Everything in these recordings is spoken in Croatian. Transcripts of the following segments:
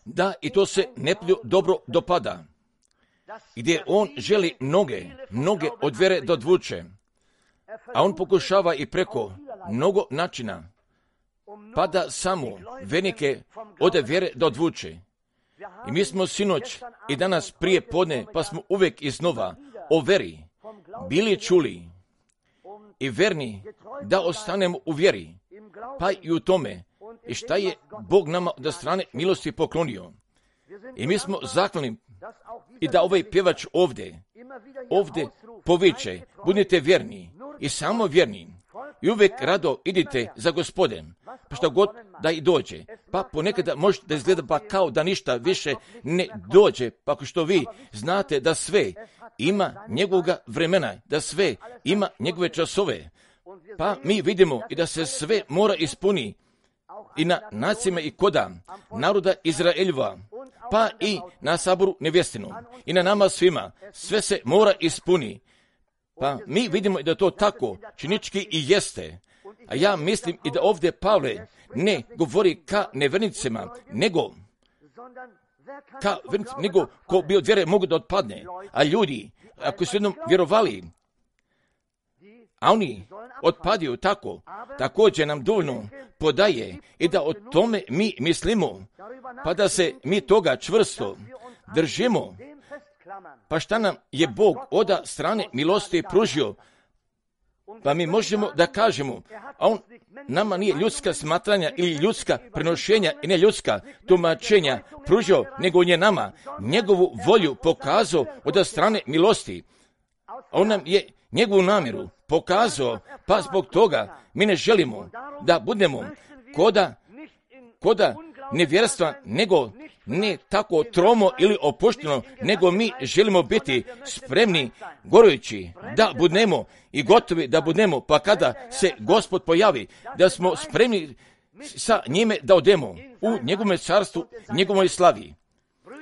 da i to se neprijatelju dobro dopada, gdje on želi mnoge od vjere da odvuče, a on pokušava i preko mnogo načina, pa da samo vernike od vjere da odvuče. I mi smo sinoć i danas prije podne, pa smo uvijek iznova o veri bili čuli i verni da ostanemo u vjeri, pa i u tome i šta je Bog nama od strane milosti poklonio. I mi smo zahvalni i da ovaj pjevač ovdje poviče, budite vjerni i samo vjerni i uvijek rado idite za Gospodem, pa što god da i dođe. Pa ponekada može da izgleda pa kao da ništa više ne dođe, pa ako što vi znate da sve ima njegovoga vremena, da sve ima njegove časove, pa mi vidimo i da se sve mora ispuni i na nacijama i koda naroda Izraeljeva, pa i na saboru nevjestinu i na nama svima, sve se mora ispuni. Pa mi vidimo i da to tako činički i jeste. A ja mislim i da ovdje Pavle ne govori ka nevernicima, nego ko bi od vjere mogu da otpadne. A ljudi, ako su jednom vjerovali, a oni otpadaju tako, također nam dovoljno podaje i da o tome mi mislimo, pa da se mi toga čvrsto držimo. Pa šta nam je Bog od strane milosti pružio? Pa mi možemo da kažemo, a on nama nije ljudska smatranja ili ljudska prenošenja i ne ljudska tumačenja pružio, nego on je nama njegovu volju pokazao od strane milosti. On nam je njegovu namjeru pokazao, pa zbog toga mi ne želimo da budemo koda nevjerstva, nego ne tako tromo ili opušteno, nego mi želimo biti spremni, gorujući, da budemo i gotovi da budemo, pa kada se Gospod pojavi, da smo spremni sa njime da odemo u njegovom carstvu, njegovoj slavi.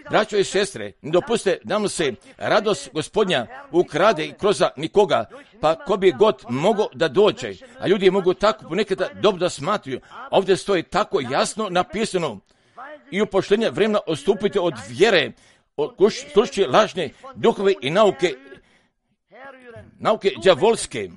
Braćo i sestre, ne dopuste da nam se radost Gospodnja ukrade i kroz nikoga, pa ko bi god mogao da dođe, a ljudi mogu tako ponekada dobro da smatruju. Ovdje stoji tako jasno napisano, i u poštenje vremena odstupite od vjere, slušajući lažne duhove i nauke đavolske.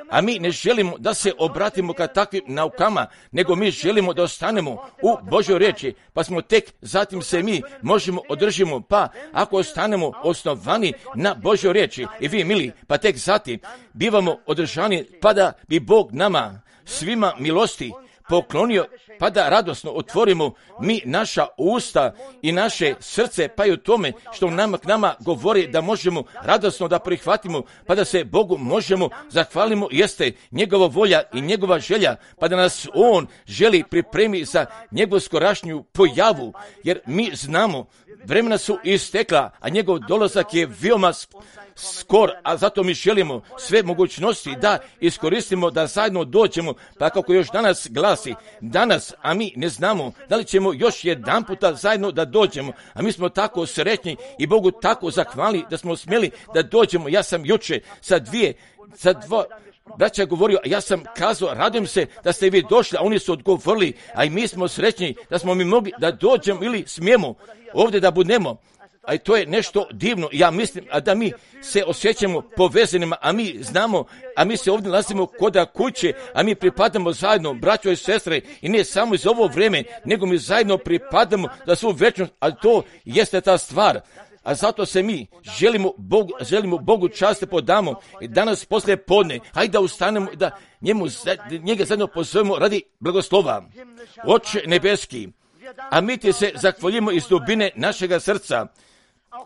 A mi ne želimo da se obratimo ka takvim naukama, nego mi želimo da ostanemo u Božoj riječi, pa smo tek zatim se mi možemo održimo, pa ako ostanemo osnovani na Božoj riječi i vi mili, pa tek zatim bivamo održani, pa da bi Bog nama svima milosti poklonio, pa da radosno otvorimo mi naša usta i naše srce, pa i u tome što nama k nama govori da možemo radosno da prihvatimo, pa da se Bogu možemo zahvalimo, jeste njegova volja i njegova želja, pa da nas on želi pripremi za njegovu skorašnju pojavu, jer mi znamo, vremena su istekla, a njegov dolazak je veoma skor, a zato mi želimo sve mogućnosti da iskoristimo, da zajedno dođemo, pa kako još danas glasi, danas, a mi ne znamo da li ćemo još jedan puta zajedno da dođemo, a mi smo tako sretni i Bogu tako zahvalni da smo smjeli da dođemo. Ja sam juče sa dva braća govorio, a ja sam kazao, radujem se da ste vi došli, a oni su odgovorili, a i mi smo srećni da smo mi mogli da dođemo ili smijemo ovdje da budemo. A to je nešto divno. Ja mislim, a da mi se osjećamo povezanima, a mi znamo, a mi se ovdje nalazimo koda kuće, a mi pripadamo zajedno, braćo i sestre, i ne samo iz ovo vrijeme, nego mi zajedno pripadamo za svu večnost, a to jeste ta stvar. A zato se mi želimo Bogu čast podamo i danas poslije podne, hajde da ustanemo i da njega zajedno pozovemo radi blagoslova. Oče nebeski, a mi ti se zahvaljujemo iz dubine našega srca,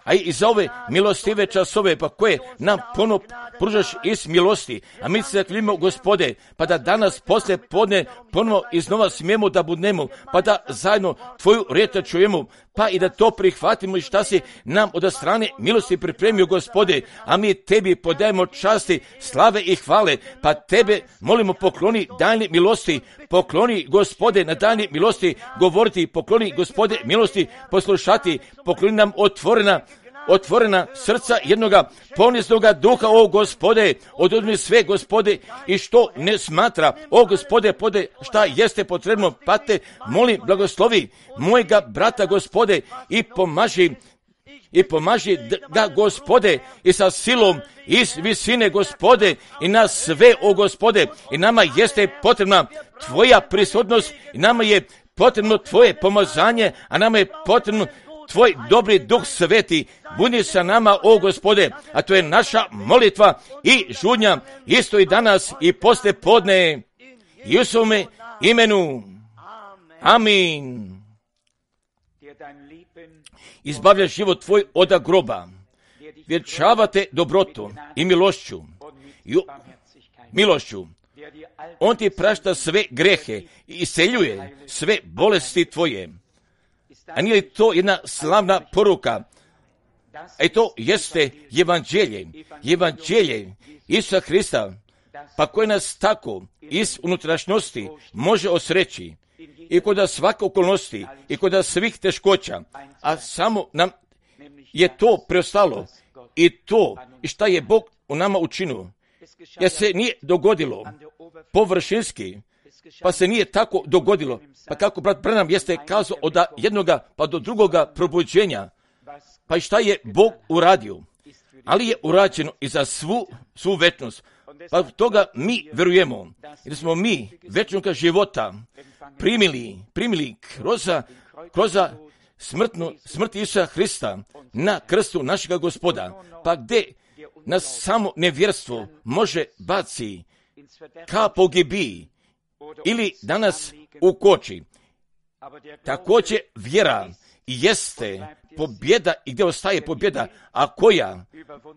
a i za ove milostive časove, pa koje nam ponovo pružaš iz milosti. A mi se zahvaljujemo, Gospode, pa da danas poslije podne ponovo iznova smijemo da budemo, pa da zajedno tvoju riječ čujemo, pa i da to prihvatimo i šta si nam od strane milosti pripremio, Gospode, a mi tebi podajemo časti, slave i hvale, pa tebe molimo pokloni daljnje milosti, pokloni, Gospode, na daljnje milosti govoriti, pokloni, Gospode, milosti poslušati, pokloni nam otvorena otvorena srca jednoga poniznoga duha, o Gospode, oduzmi sve, Gospode, i što ne smatra, o Gospode, šta jeste potrebno, pa te molim, blagoslovi mojega brata, Gospode, i pomaži ga, Gospode, i sa silom iz visine, Gospode, i na sve, o Gospode, i nama jeste potrebna Tvoja prisutnost, i nama je potrebno Tvoje pomazanje, a nama je potrebno Tvoj dobri Duh Sveti, budi sa nama, o Gospode, a to je naša molitva i žudnja, isto i danas i posle podne, i u svome imenu. Amin. Izbavlja život tvoj od groba, vječavate dobrotom i milošću. On ti prašta sve grehe i iseljuje sve bolesti tvoje. A nije li to jedna slavna poruka? A to jeste evanđelje Isusa Hrista, pa koje nas tako iz unutrašnjosti može osreći i kod svake okolnosti i kod svih teškoća, a samo nam je to preostalo i to i šta je Bog u nama učinio, jer se nije dogodilo površinski, pa se nije tako dogodilo, pa kako brat Branham jeste kazao od jednoga pa do drugoga probuđenja, pa i šta je Bog uradio, ali je urađeno i za svu večnost. Pa toga mi verujemo, jer smo mi večnog života primili kroz smrt Isusa Hrista na krstu našega Gospoda, pa gdje nas samo nevjerstvo može baci ka pogibiji ili danas ukoči. Također vjera jeste pobjeda i gdje ostaje pobjeda, a koja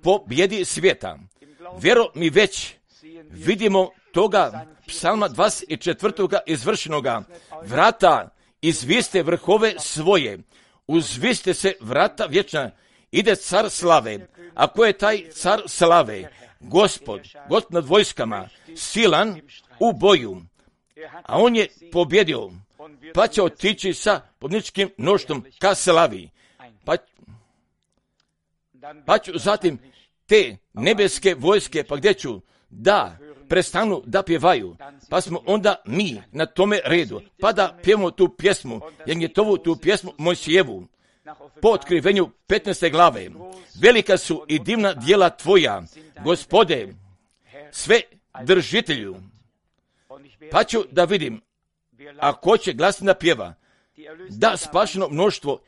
pobjedi svijeta. Vjero mi već vidimo toga psalma 24. izvršenoga. Vrata izviste vrhove svoje, uzviste se vrata vječna, ide car slave. A ko je taj car slave? Gospod nad vojskama, silan u boju. A on je pobjedio, pa će otići sa pobjedničkim mnoštvom ka slavi. Pa ću zatim te nebeske vojske, pa gdje ću da prestanu da pjevaju, pa smo onda mi na tome redu, pa da pjevamo tu pjesmu, Janjetovu tu pjesmu Mojsijevu, po otkrivenju 15. glave. Velika su i divna djela tvoja, Gospode, sve držitelju. Pa ću da vidim, a ko će glasno da pjeva, da spašeno mnoštvo,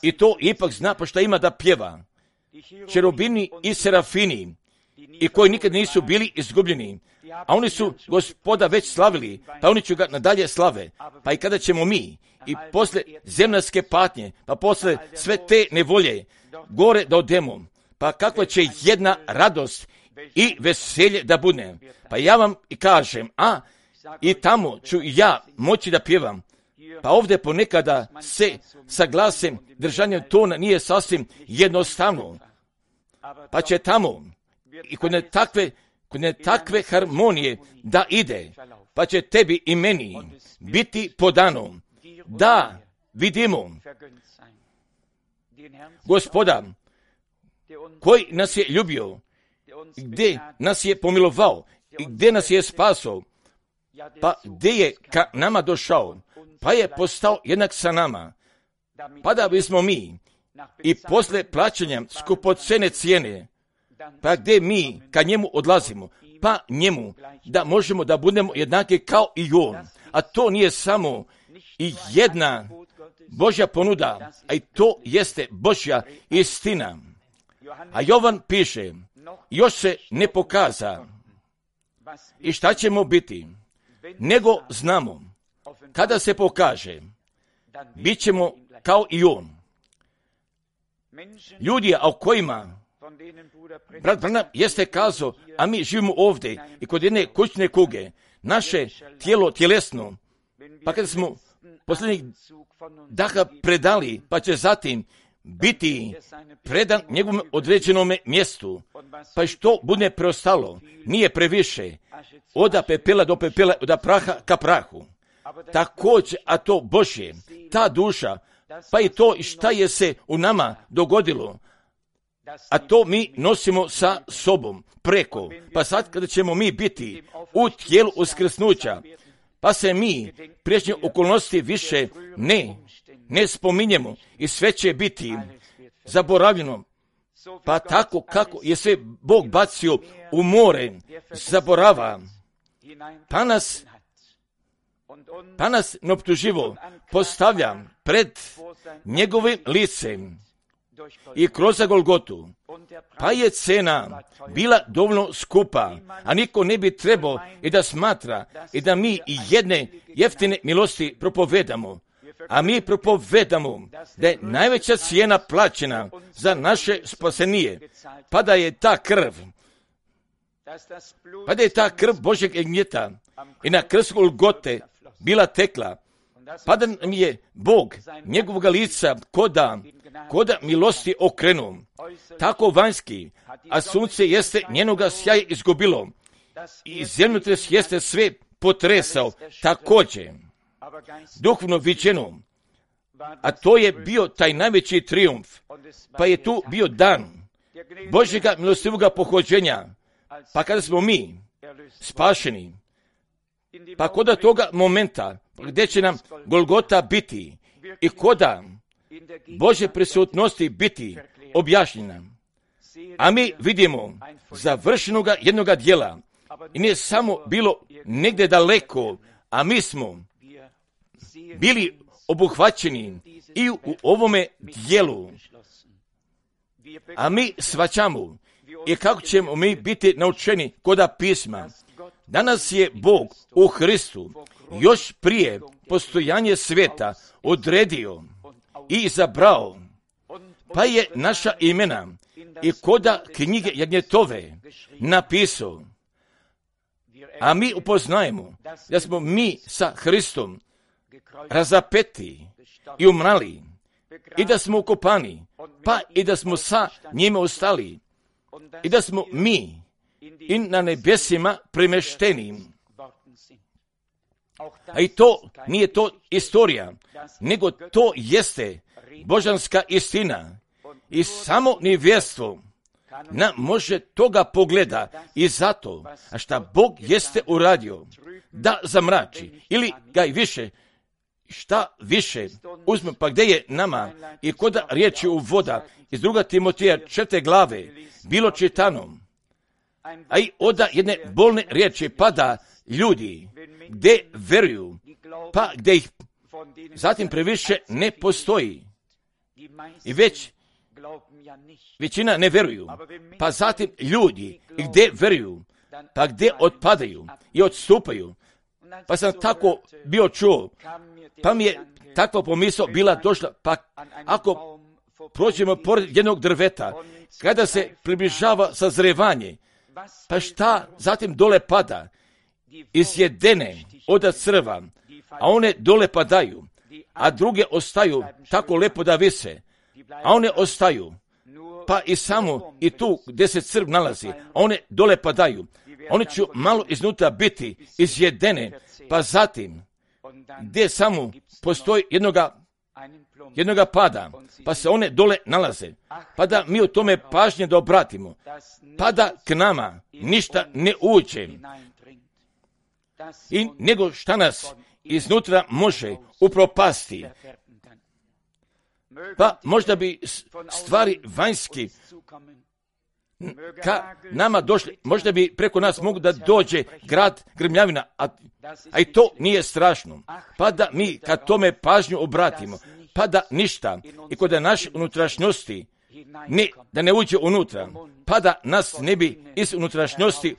i to ipak zna pa šta ima da pjeva. Čerubini i serafini, i koji nikad nisu bili izgubljeni, a oni su Gospoda već slavili, pa oni će ga nadalje slave. Pa i kada ćemo mi, i posle zemaljske patnje, pa posle sve te nevolje, gore da odemo, pa kakva će jedna radost i veselje da bude. Pa ja vam i kažem, i tamo ću ja moći da pjevam. Pa ovdje ponekada se sa glasem, držanjem tona nije sasvim jednostavno. Pa će tamo i kod ne takve harmonije da ide, pa će tebi i meni biti podano da vidimo Gospoda koji nas je ljubio, gdje nas je pomilovao i gdje nas je spasao, pa gdje je ka nama došao, pa je postao jednak sa nama, pa da bismo mi i posle plaćanja skupocene cijene, pa gdje mi ka njemu odlazimo, pa njemu da možemo da budemo jednaki kao i on. A to nije samo i jedna Božja ponuda, a i to jeste Božja istina. A Jovan piše, još se ne pokaza i šta ćemo biti, nego znamo, kada se pokaže, bit ćemo kao i on. Ljudi, a o kojima brat Branham jeste kazao, a mi živimo ovdje i kod jedne kućne kuge, naše tijelo tjelesno, pa kada smo posljednjih daha predali, pa će zatim biti predan njegovom određenome mjestu, pa što bude preostalo, nije previše, od pepela do pepela, od praha ka prahu. Također, a to Božje, ta duša, pa i to šta je se u nama dogodilo, a to mi nosimo sa sobom preko. Pa sad kada ćemo mi biti u tijelu uskrsnuća, pa se mi priješnje okolnosti više ne spominjemo i sve će biti zaboravljeno. Pa tako kako je sve Bog bacio u more, zaborava, pa nas neoptuživo postavlja pred njegovim licem i kroz Golgotu. Pa je cena bila dovoljno skupa, a niko ne bi trebao i da smatra i da mi jedne jeftine milosti propovedamo. A mi propovedamo da je najveća cijena plaćena za naše spasenije, pa da je ta krv Božjeg jagnjeta i na krstu Golgote bila tekla, pa da nam je Bog njegovog lica koda milosti okrenuo, tako vanjski, a sunce jeste njenoga sjaja izgubilo i zemljotres jeste sve potresao također. Duhovno viđeno, a to je bio taj najveći trijumf, pa je tu bio dan Božjega milostivoga pohođenja, pa kada smo mi spašeni, pa koda toga momenta gdje će nam Golgota biti i koda Božje prisutnosti biti objašnjena, a mi vidimo završenoga jednoga djela i nije samo bilo negdje daleko, a mi smo bili obuhvaćeni i u ovome dijelu. A mi shvaćamo i kako ćemo mi biti naučeni koda pisma. Danas je Bog u Hristu još prije postojanje svijeta odredio i izabrao, pa je naša imena i koda knjige Jagnjetove napisao. A mi upoznajemo da smo mi sa Hristom razapeti i umrali i da smo ukopani, pa i da smo sa njime ostali i da smo mi i na nebesima premešteni. A i to nije to istorija, nego to jeste božanska istina i samo nevjerstvo nam može toga pogleda i zato, a šta Bog jeste uradio da zamrači ili ga i više, šta više uzme, pa gdje je nama i koda riječi u voda iz 2. Timoteja 4. glave bilo čitano, a i oda jedne bolne riječi pada ljudi gdje veruju, pa gdje ih zatim previše ne postoji i većina ne veruju, pa zatim ljudi gdje veruju, pa gdje otpadaju i odstupaju. Pa sam tako bio čuo, pa mi je takva pomisao bila došla, pa ako prođemo pored jednog drveta, kada se približava sazrevanje, pa šta zatim dole pada, izjedene od crva, a one dole padaju, a druge ostaju tako lepo da vise, a one ostaju, pa i samo i tu gdje se crv nalazi, a one dole padaju, one će malo iznutra biti izjedene, pa zatim gdje samo postoji jednoga pada, pa se one dole nalaze, pa da mi u tome pažnje da obratimo, pa da k nama ništa ne uđe, i nego šta nas iznutra može upropasti. Pa možda bi stvari vanjski ka nama došli, možda bi preko nas mogu da dođe grad grmljavina, a i to nije strašno. Pa da mi kad tome pažnju obratimo, pa da ništa i kod naše unutrašnjosti da ne uđe unutra, pa da nas ne bi iz unutrašnjosti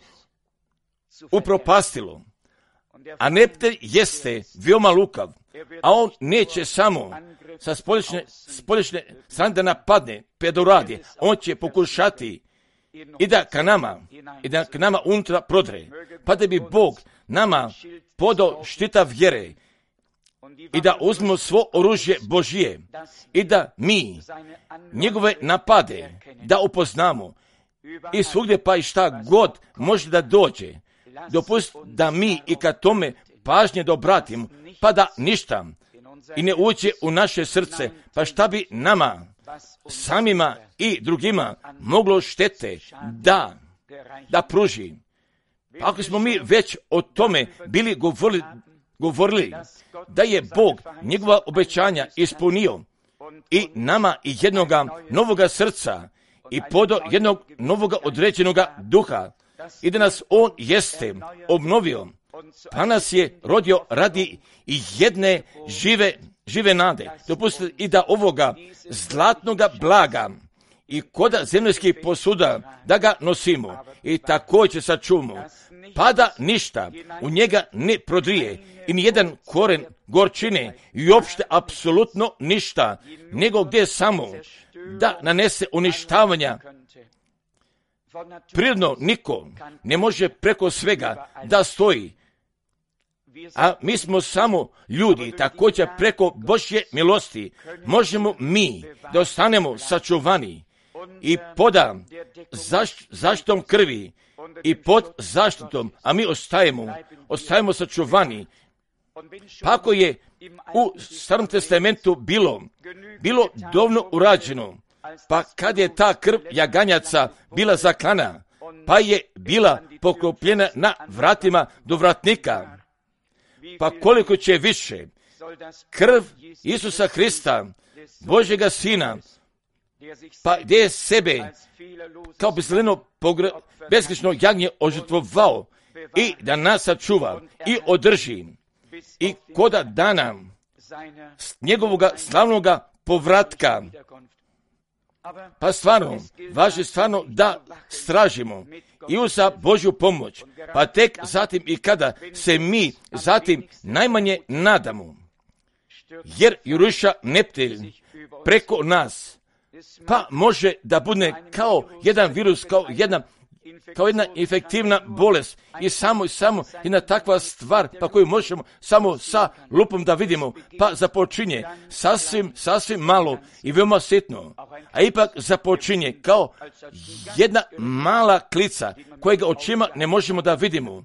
upropastilo. A neprijatelj jeste veoma lukav, a on neće samo sa spolješnje strane da napadne, pedoradi, on će pokušati i da k nama unutra prodre, pa da bi Bog nama podao štita vjere i da uzmemo svo oružje Božije i da mi njegove napade da upoznamo i svugdje pa i šta god može da dođe. Dopust da mi i kad tome pažnje da obratimo, pa da ništa i ne uđe u naše srce, pa šta bi nama samima i drugima moglo štete da pruži. Pa ako smo mi već o tome bili govorili da je Bog njegova obećanja ispunio i nama i jednoga novoga srca i podo jednog novoga određenoga duha i da nas On jeste obnovio, pa nas je rodio radi i jedne žive nade. Dopustite i da ovoga zlatnoga blaga i koda zemaljskih posuda da ga nosimo i također sačuvamo, pa da ništa u njega ne prodrije i nijedan koren gorčine i uopšte apsolutno ništa, nego gdje samo da nanese uništavanja. Prirodno niko ne može preko svega da stoji, a mi smo samo ljudi, također preko Božje milosti možemo mi da ostanemo sačuvani i pod zaštitom krvi i pod zaštitom, a mi ostajemo sačuvani. Pa ako je u Starom testamentu bilo dovoljno urađeno, pa kad je ta krv jaganjaca bila zaklana, pa je bila poklopljena na vratima do vratnika, pa koliko će više krv Isusa Hrista, Božjega Sina, pa gdje je sebe kao bezgrešno jagnje ožrtvovao i da nas sačuva i održi i koda dana njegovoga slavnoga povratka. Pa stvarno, važi stvarno da stražimo i uza Božju pomoć, pa tek zatim i kada se mi zatim najmanje nadamo, jer juruša neprijatelj preko nas, pa može da bude kao jedan virus, kao jedna infektivna bolest i samo jedna takva stvar pa koju možemo samo sa lupom da vidimo, pa započinje sasvim malo i veoma sitno, a ipak započinje kao jedna mala klica kojega očima ne možemo da vidimo.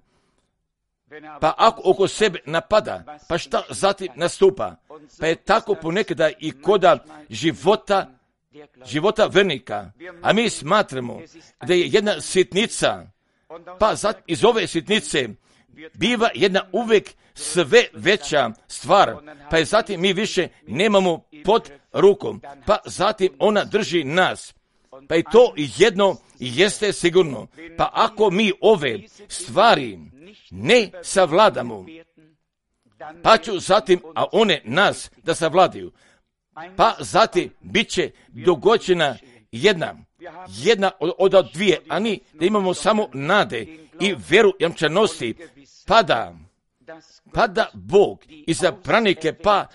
Pa ako oko sebe napada, pa šta zatim nastupa? Pa je tako ponekada i koda života vernika, a mi smatramo da je jedna sitnica, pa iz ove sitnice biva jedna uvijek sve veća stvar, pa je zatim mi više nemamo pod rukom, pa zatim ona drži nas, pa i to jedno jeste sigurno, pa ako mi ove stvari ne savladamo, pa ću zatim, a one nas da savladaju, pa zatim bit će dogođena jedna od dvije, a ni da imamo samo nade i vjeru jamčanosti, pada Bog i za branike, pa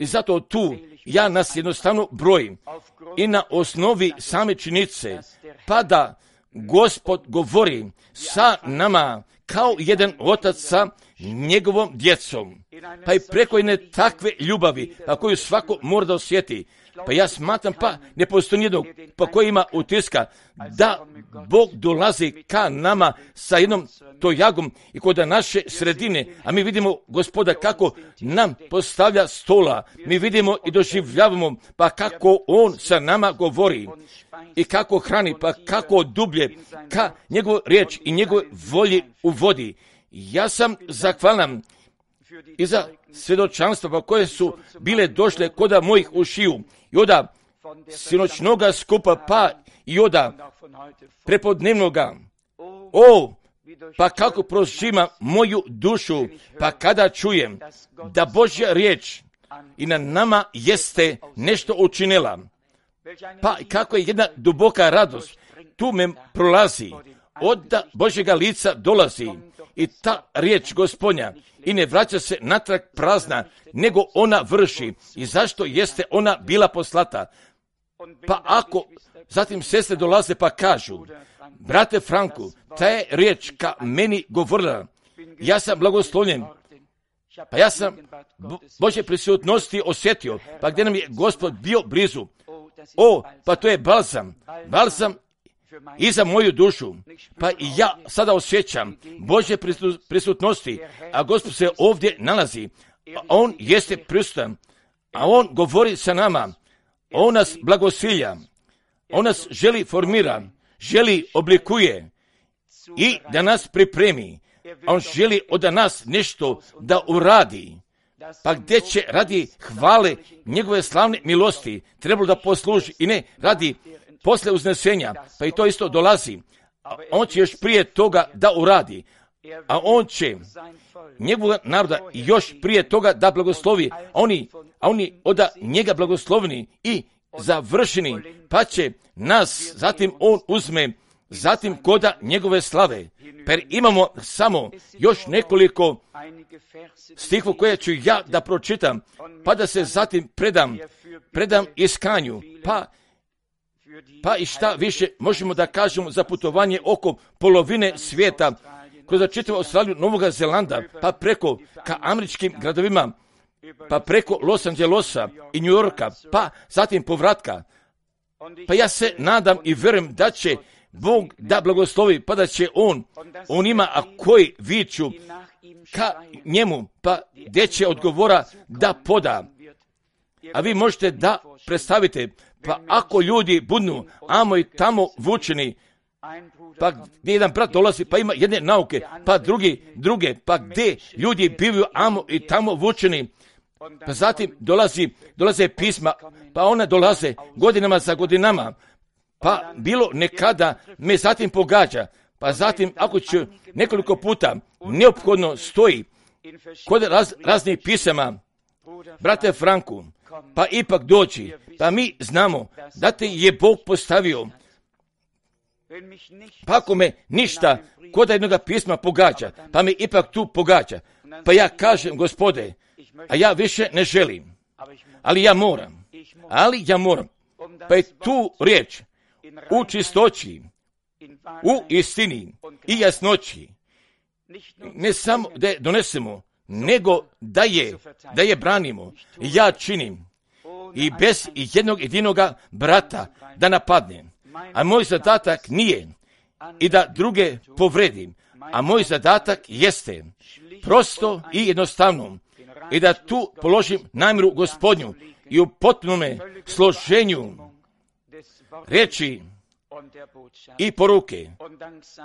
zato tu ja nas jednostavno brojim i na osnovi same činjenice, pa da Gospod govori sa nama kao jedan otac sa njegovom djecom, pa i preko jedne takve ljubavi, pa koju svako mora da osjeti. Pa ja smatram, pa ne postoji nijednog, pa koji ima utiska da Bog dolazi ka nama sa jednom tojagom i kod naše sredine, a mi vidimo Gospoda kako nam postavlja stola, mi vidimo i doživljavamo, pa kako On sa nama govori i kako hrani, pa kako dublje ka njegovu riječ i njegove volji uvodi. Ja sam zahvalan i za svjedočanstva pa koje su bile došle koda mojih ušiju i oda sinoćnoga skupa, pa i oda prepodnevnoga. Pa kako prožima moju dušu, pa kada čujem da Božja riječ i na nama jeste nešto učinila, pa kako je jedna duboka radost tu me prolazi, od Božjega lica dolazi i ta riječ Gospodnja i ne vraća se natrag prazna, nego ona vrši. I zašto jeste ona bila poslata? Pa ako zatim sestre dolaze pa kažu, brate Franku, ta je riječ ka meni govorila, ja sam blagoslovljen, pa ja sam Božje prisutnosti osjetio, pa gdje nam je Gospod bio blizu. Pa to je balzam i za moju dušu, pa i ja sada osjećam Božje prisutnosti, a Gospod se ovdje nalazi, a On jeste prisutan, a On govori sa nama, On nas blagosilja, on nas želi formira, želi oblikuje i da nas pripremi. On želi od nas nešto da uradi. Pa gdje će radi hvale njegove slavne milosti trebalo da posluži i ne radi posle uznesenja, pa i to isto dolazi. On će još prije toga da uradi, a on će njegovog naroda još prije toga da blagoslovi, a oni od njega blagoslovni i završeni, pa će nas zatim on uzme, zatim koda njegove slave. Per imamo samo još nekoliko stihova koje ću ja da pročitam, pa da se zatim predam iskanju, pa i šta više možemo da kažemo za putovanje oko polovine svijeta, kroz čitavu Australiju, Novog Zelanda, pa preko ka američkim gradovima, pa preko Los Angelesa i New Yorka, pa zatim povratka. Pa ja se nadam i vjerujem da će Bog da blagoslovi, pa da će on ima, a koji viču ka njemu, pa gdje će odgovora da poda. A vi možete da predstavite, pa ako ljudi budu amo i tamo vučeni, pa gdje jedan brat dolazi, pa ima jedne nauke, pa druge, pa gdje ljudi bivaju amo i tamo vučeni, pa zatim dolaze pisma, pa one dolaze godinama za godinama, pa bilo nekada me zatim pogađa, pa zatim ako ću nekoliko puta neophodno stoji kod raznih pisama, brate Franku, pa ipak doći, pa mi znamo da te je Bog postavio. Pa ako me ništa kod jednog pisma pogađa, pa me ipak tu pogađa, pa ja kažem, Gospode, a ja više ne želim, ali ja moram, pa je tu riječ u čistoći, u istini i jasnoći, ne samo da je donesemo, nego da je branimo. Ja činim i bez jednog jedinoga brata da napadnem, a moj zadatak nije i da druge povredim, a moj zadatak jeste prosto i jednostavno i da tu položim namjeru Gospodnju i u potpunome složenju reči i poruke.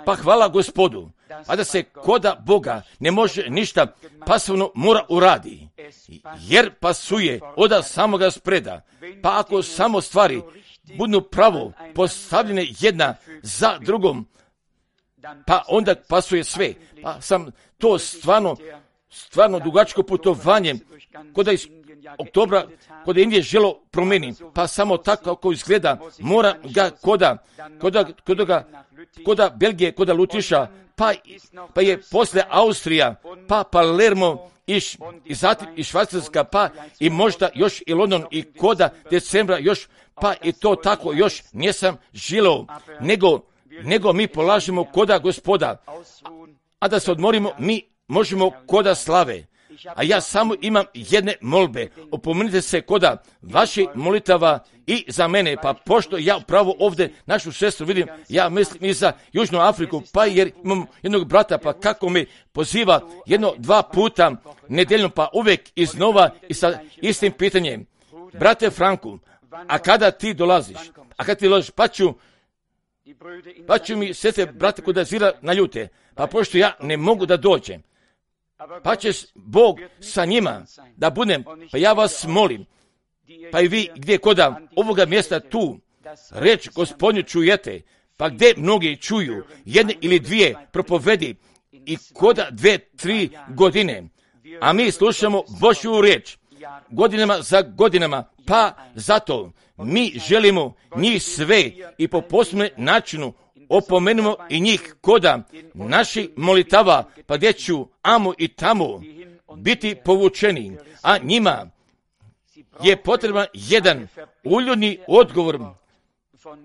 Pa hvala Gospodu, a da se koda Boga ne može ništa pasivno mora uradi, jer pasuje od samoga spreda. Pa ako samo stvari budu pravo postavljene jedna za drugom, pa onda pasuje sve. Pa sam to stvarno dugačko putovanje kod iz oktobra, kod Indije želo promeni, pa samo tako kako izgleda, mora ga koda Belgije, koda Lutiša, pa je posle Austrija, pa Palermo i zatim i Švajcarska, pa i možda još i London i koda decembra još, pa i to tako još nisam želeo, nego mi polažemo koda Gospoda, a da se odmorimo mi možemo koda slave. A ja samo imam jedne molbe. Opomenite se koda vaših molitava i za mene, pa pošto ja upravo ovdje našu sestru vidim, ja mislim i za Južnu Afriku, pa jer imam jednog brata, pa kako me poziva 1-2 puta nedeljno, pa uvijek iznova i sa istim pitanjem. Brate Franku, a kada ti dolaziš? Pa ću mi sestre, brate, koda zira na ljute, pa pošto ja ne mogu da dođem, pa će Bog sa njima da budem, pa ja vas molim, pa i vi gdje koda ovoga mjesta tu reč Gospodnju čujete, pa gdje mnogi čuju jedne ili dvije propovedi i koda 2-3 godine, a mi slušamo Božju riječ godinama za godinama, pa zato mi želimo njih sve i po posebnom načinu opomenemo i njih koda naših molitava, pa gdje ću amo i tamo biti povučeni, a njima je potreban jedan uljudni odgovor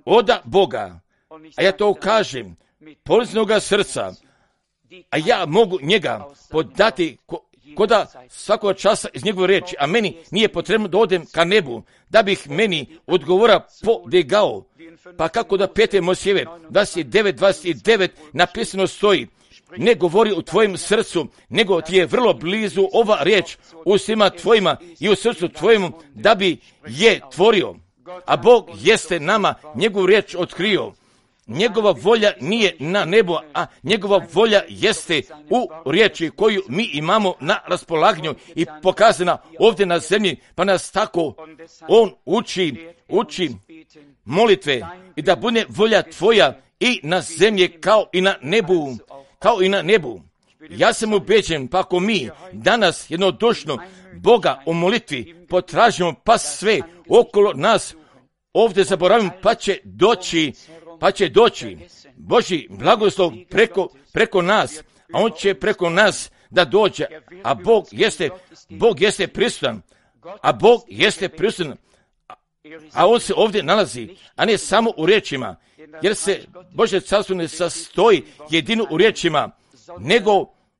od Boga, a ja to kažem poliznoga srca, a ja mogu njega podati koda svakog časa iz njegove riječi, a meni nije potrebno da odem ka nebu, da bih meni odgovora podigao. Pa kako da 5. Mojsijeve 29:29 napisano stoji, ne govori u tvojem srcu, nego ti je vrlo blizu ova riječ u svima tvojima i u srcu tvojemu, da bi je tvorio. A Bog jeste nama njegovu riječ otkrio. Njegova volja nije na nebu, a njegova volja jeste u riječi koju mi imamo na raspolaganju i pokazana ovdje na zemlji, pa nas tako on uči molitve i da bude volja tvoja i na zemlji kao i na nebu. Ja sam ubeđen, pa ako mi danas jednodušno Boga u molitvi potražimo, pa sve okolo nas ovdje zaboravimo, pa će doći Božji blagoslov preko nas, a on će preko nas da dođe, a Bog jeste prisutan, a on se ovdje nalazi, a ne samo u riječima, jer se Božje carstvo ne sastoji jedino u riječima,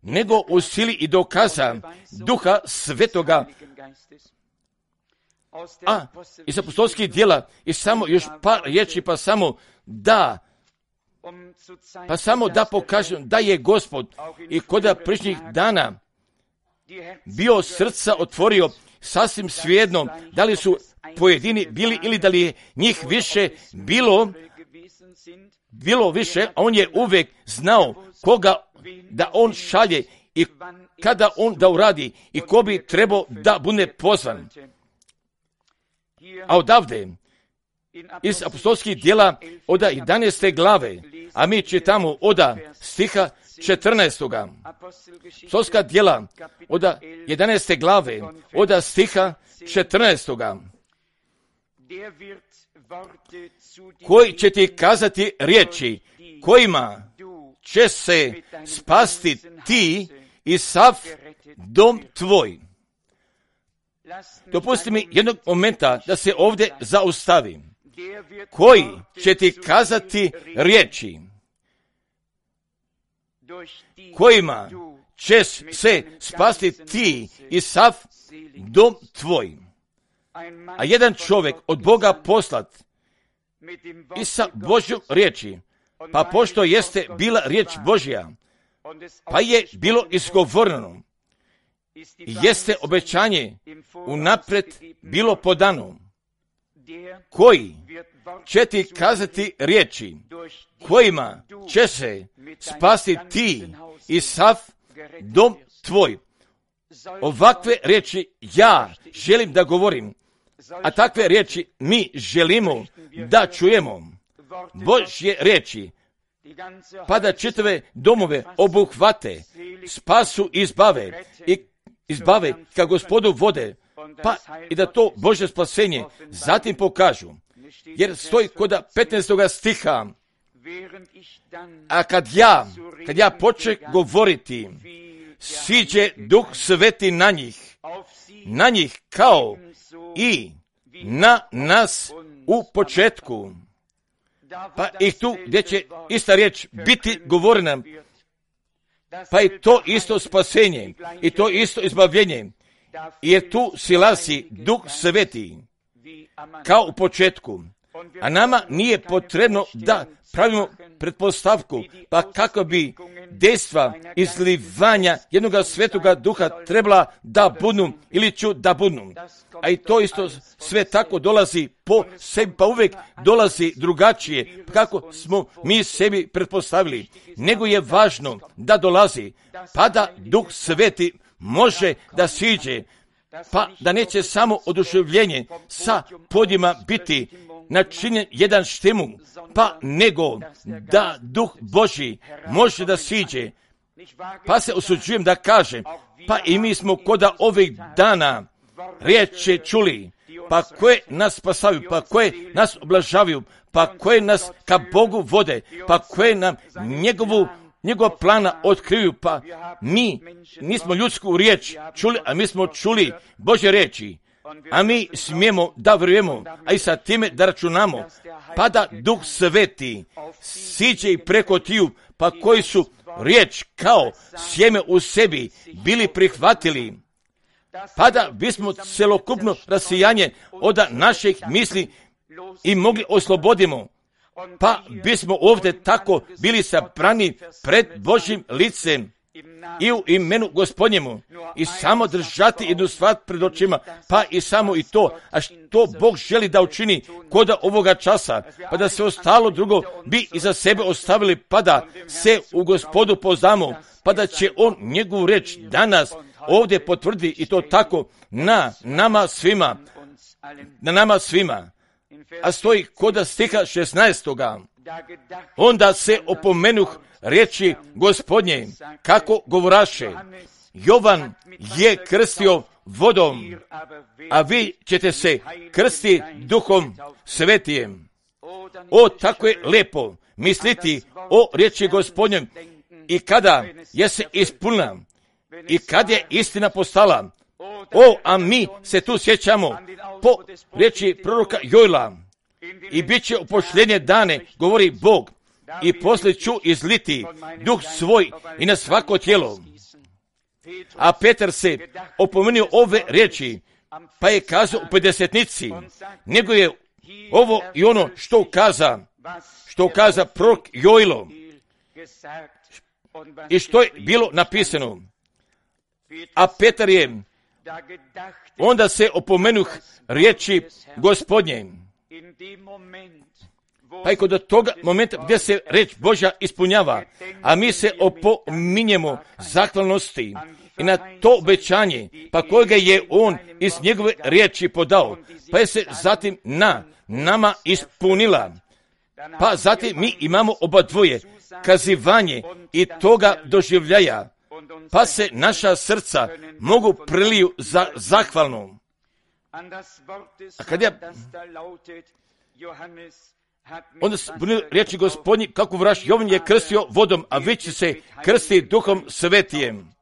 nego u sili i dokaza Duha Svetoga. A iz apostolskih djela i samo još par riječi, pa samo da pokažem da je Gospod i kod prišnjih dana bio srca otvorio sasvim svejedno, da li su pojedini bili ili da li je njih više bilo više, a on je uvijek znao koga da on šalje i kada on da uradi i ko bi trebao da bude pozvan. A odavde, iz apostolskih djela od 11. glave, a mi čitamo od stiha 14. Apostolska djela od 11. glave, od stiha 14. Koji će ti kazati riječi kojima će se spasti ti i sav dom tvoj. Dopusti mi jednog momenta da se ovdje zaustavim. Koji će ti kazati riječi kojima će se spasti ti i sav dom tvoj. A jedan čovjek od Boga poslat i sa Božjom riječi, pa pošto jeste bila riječ Božja, pa je bilo izgovoreno, jeste obećanje unaprijed bilo podano, koji će ti kazati riječi kojima će se spasti ti i sav dom tvoj. Ovakve riječi ja želim da govorim, a takve riječi mi želimo da čujemo. Božje riječi, pa da čitave domove obuhvate, spasu i izbave ka Gospodu vode, pa i da to Božje spasenje zatim pokažu. Jer stoji kod 15. stiha, a kad ja počnem govoriti, siđe Duh Sveti na njih kao i na nas u početku. Pa i tu gdje će ista riječ biti govorena, pa i to isto spasenje, i to isto izbavljenje, jer tu silazi Duh Sveti kao u početku. A nama nije potrebno da pravimo pretpostavku, pa kako bi dejstva izlivanja jednoga svetoga duha trebala da budu ili ću da budu. A i to isto sve tako dolazi po sebi, pa uvijek dolazi drugačije, kako smo mi sebi pretpostavili. Nego je važno da dolazi, pa da Duh Sveti može da siđe, pa da neće samo oduševljenje sa podjima biti načinjen jedan štimul, pa nego da Duh Božji može da siđe. Pa se usuđujem da kažem, pa i mi smo koda ovih dana riječi čuli, pa koje nas spasavaju, pa koje nas oblažavaju, pa koje nas ka Bogu vode, pa koje nam njegova plana otkriju, pa mi nismo ljudsku riječ čuli, a mi smo čuli Božje riječi, a mi smijemo da vjerujemo, a i sa time da računamo, pa da Duh Sveti siđe i preko tiju, pa koji su riječ kao sjeme u sebi bili prihvatili, pa da bismo celokupno rasijanje od naših misli i mogli oslobodimo, pa bismo ovdje tako bili sabrani pred Božjim licem, i u imenu Gospodnjemu i samo držati jednu stvar pred očima, pa i samo i to, a što Bog želi da učini koda ovoga časa, pa da se ostalo drugo bi iza sebe ostavili, pa da se u Gospodu poznamo, pa da će On njegovu reč danas ovdje potvrdi i to tako na nama svima. A stoji koda stiha 16. Onda se opomenuh riječi Gospodnje, kako govoraše, Jovan je krstio vodom, a vi ćete se krstiti Duhom Svetijem. O, tako je lijepo misliti o riječi Gospodnjem i kada je se ispunila i kad je istina postala. O, a mi se tu sjećamo po riječi proroka Joela, i bit će u posljednje dane, govori Bog, i poslije ću izliti duh svoj i na svako tijelo. A Petar se opomenuo ove riječi, pa je kazao u pedesetnici, nego je ovo i ono što kaza prorok Joelo i što je bilo napisano. A Petar je, onda se opomenuh riječi Gospodnje. Pa i kod toga momenta gdje se reč Božja ispunjava, a mi se opominjemo zahvalnosti i na to obećanje, pa kojega je On iz njegove riječi podao, pa je se zatim na nama ispunila. Pa zatim mi imamo oba dvoje, kazivanje i toga doživljaja, pa se naša srca mogu preliju za zahvalnom. A kad ja onda bunili riječi Gospodnji, kako vraš, Jovan je krstio vodom, a vi će se krstiti Duhom Svetijem.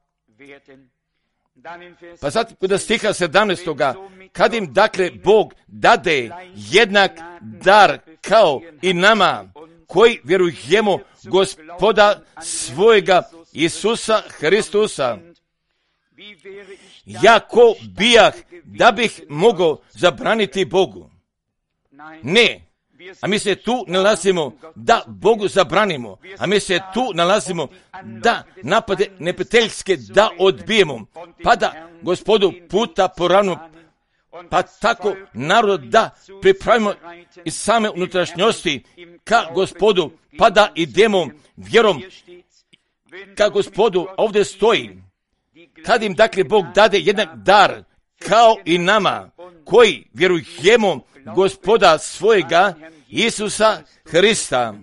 Pa zatim kod stiha 17. kad im dakle Bog dade jednak dar kao i nama, koji vjerujemo Gospoda svojega Isusa Hristusa. Ja ko bijah da bih mogao zabraniti Bogu? Ne. A mi se tu nalazimo da Bogu zabranimo, a mi se tu nalazimo da napade neprijateljske da odbijemo, pa da Gospodu puta poravno, pa tako narod da pripravimo iz same unutrašnjosti ka Gospodu, pa da idemo vjerom ka Gospodu. Ovdje stoji, kad im dakle Bog dade jedan dar kao i nama, koji vjerujemo Gospoda svojega Isusa Hrista.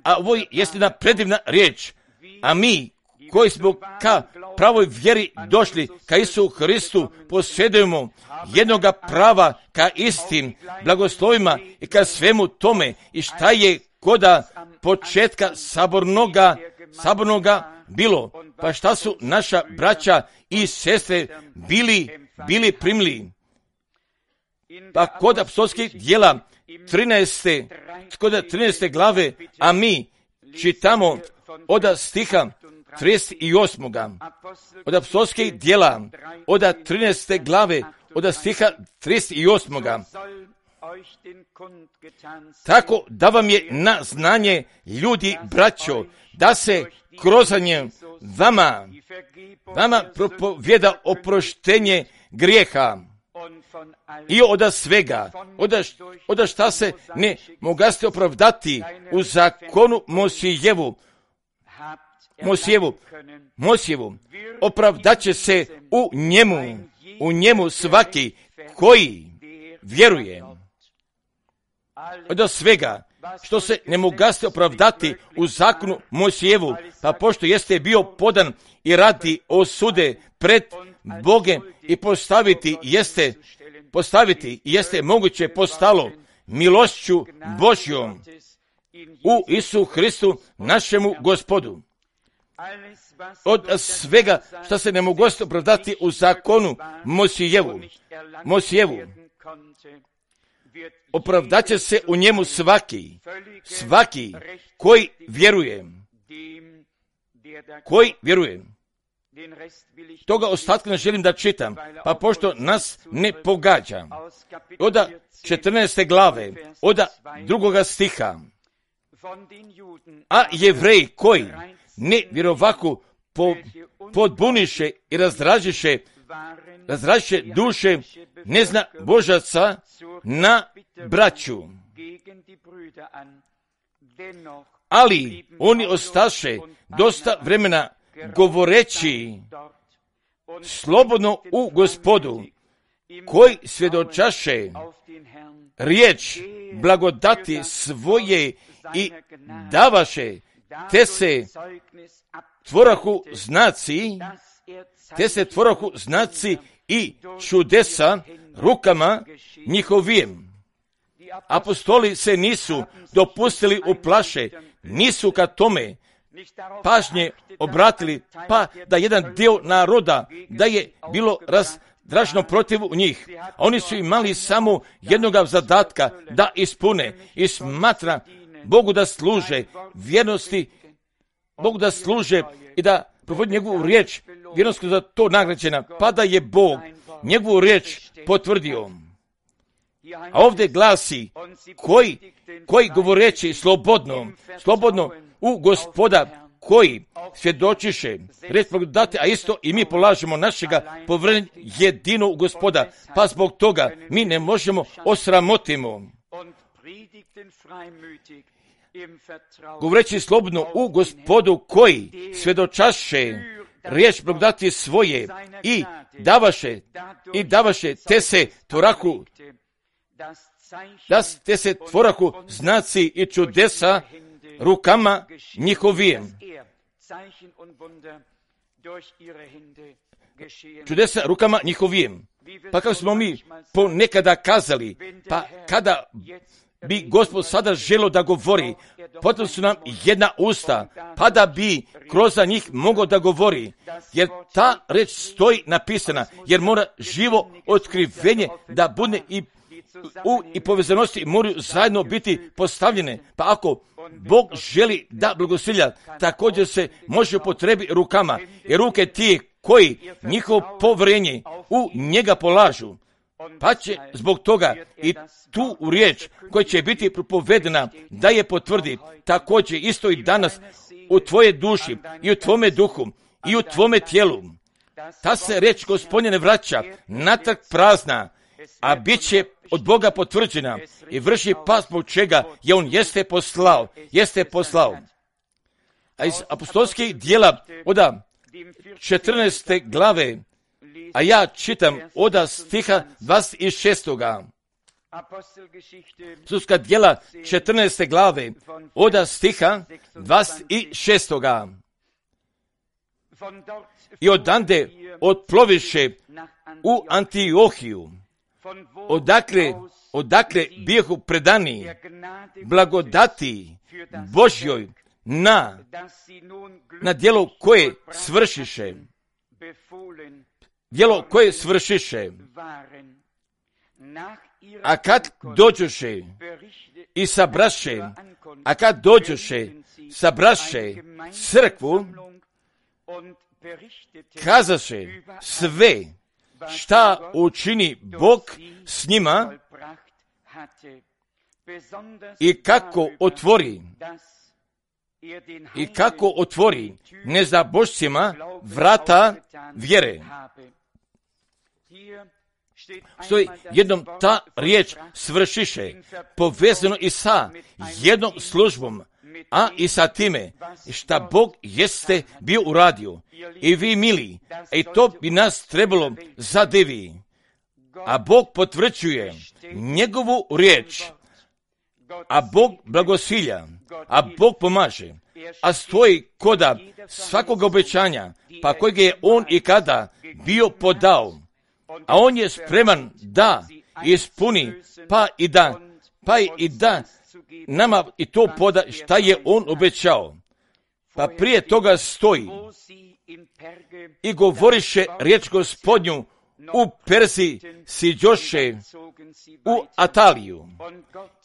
A ovo je jedna predivna riječ, a mi koji smo ka pravoj vjeri došli, ka Isusu Hristu, posjedujemo jednoga prava ka istim blagoslovima i ka svemu tome, i šta je koda početka sabornoga bilo, pa šta su naša braća i sestre bili primili. Pa kod apostolskih djela 13. glave, a mi čitamo od stiha 38. Od apostolskih djela, od 13. glave, od stiha 38. Tako da vam je na znanje, ljudi, braćo, da se krozanjem vama propovjeda oproštenje grijeha i od svega, od šta se ne mogaste opravdati u zakonu Mosijevu, opravdat će se u njemu svaki koji vjeruje. Od svega što se ne mogaste opravdati u zakonu Mosijevu, pa pošto jeste bio podan i radi osude pred Bogem i postaviti jeste moguće postalo milošću Božjom u Isusu Hristu našemu Gospodu. Od svega što se ne mogaste opravdati u zakonu Mosijevu, opravdat će se u njemu svaki koji vjeruje. Toga ostatka ne želim da čitam, pa pošto nas ne pogađa. Od 14. glave, od 2. stiha. A Jevreji koji ne vjerovaku podbuniše i razdražiše duše nezna božaca na braću. Ali oni ostaše dosta vremena govoreći slobodno u Gospodu, koji svjedočaše riječ blagodati svoje i davaše, te se tvorahu znaci i čudesa rukama njihovim. Apostoli se nisu dopustili u plaše, nisu ka tome pažnje obratili, pa da jedan dio naroda da je bilo razdraženo protiv njih. Oni su imali samo jednoga zadatka da ispune i smatra Bogu da služe vjernosti, Bogu da služe i da provodi njegovu riječ, vjernost za to nagrađena, pa da je Bog njegovu riječ potvrdio. A ovdje glasi koji govoreći slobodno u Gospoda, koji svjedočiše reč blagodati, a isto i mi polažemo našega povjerenja jedino u Gospoda, pa zbog toga mi ne možemo osramotimo. Govoreći slobodno u Gospodu, koji svjedočaše riječ blagodati svoje i davaše te se tvorahu znaci i čudesa rukama njihovim. Čudesa rukama njihovim. Pa kako smo mi ponekada kazali, pa kada bi Gospod sada želio da govori, potrebno su nam jedna usta, pa da bi kroz njih mogao da govori, jer ta reč stoji napisana, jer mora živo otkrivenje da bude i povezanosti moraju zajedno biti postavljene. Pa ako Bog želi da blagosilja, također se može upotrebi rukama, jer ruke ti koji njihovo povjerenje u njega polažu, pa će zbog toga i tu riječ koja će biti propovedena da je potvrdi, također isto i danas u tvoje duši i u tvome duhu i u tvome tijelu. Ta se riječ Gospodnje ne vraća natrag prazna, a bit će od Boga potvrđena i vrši pas zbog čega je on jeste poslao. A iz apostolskih dijela od 14. glave, a ja čitam od stiha 26. Apostolska dijela 14. glave od stiha 26. I odande otploviše u Antiohiju, odakle bijehu predani blagodati Božjoj na djelo koje svršiše. A kad dođoše i sabraše crkvu, kazaše sve šta učini Bog s njima i kako otvori nezabožcima vrata vjere. Stoji jednom ta riječ svršiše, povezano i sa jednom službom, a i sa time šta Bog jeste bio uradio. I vi mili, i to bi nas trebalo zadivi. A Bog potvrđuje njegovu riječ, a Bog blagosilja, a Bog pomaže, a stoji koda svakog obećanja, pa kojeg je on i kada bio podao, a on je spreman da ispuni, pa i da nama i to poda šta je on obećao. Pa prije toga stoji i govoriše riječ Gospodnju u Perziji, siđoše u Ataliju.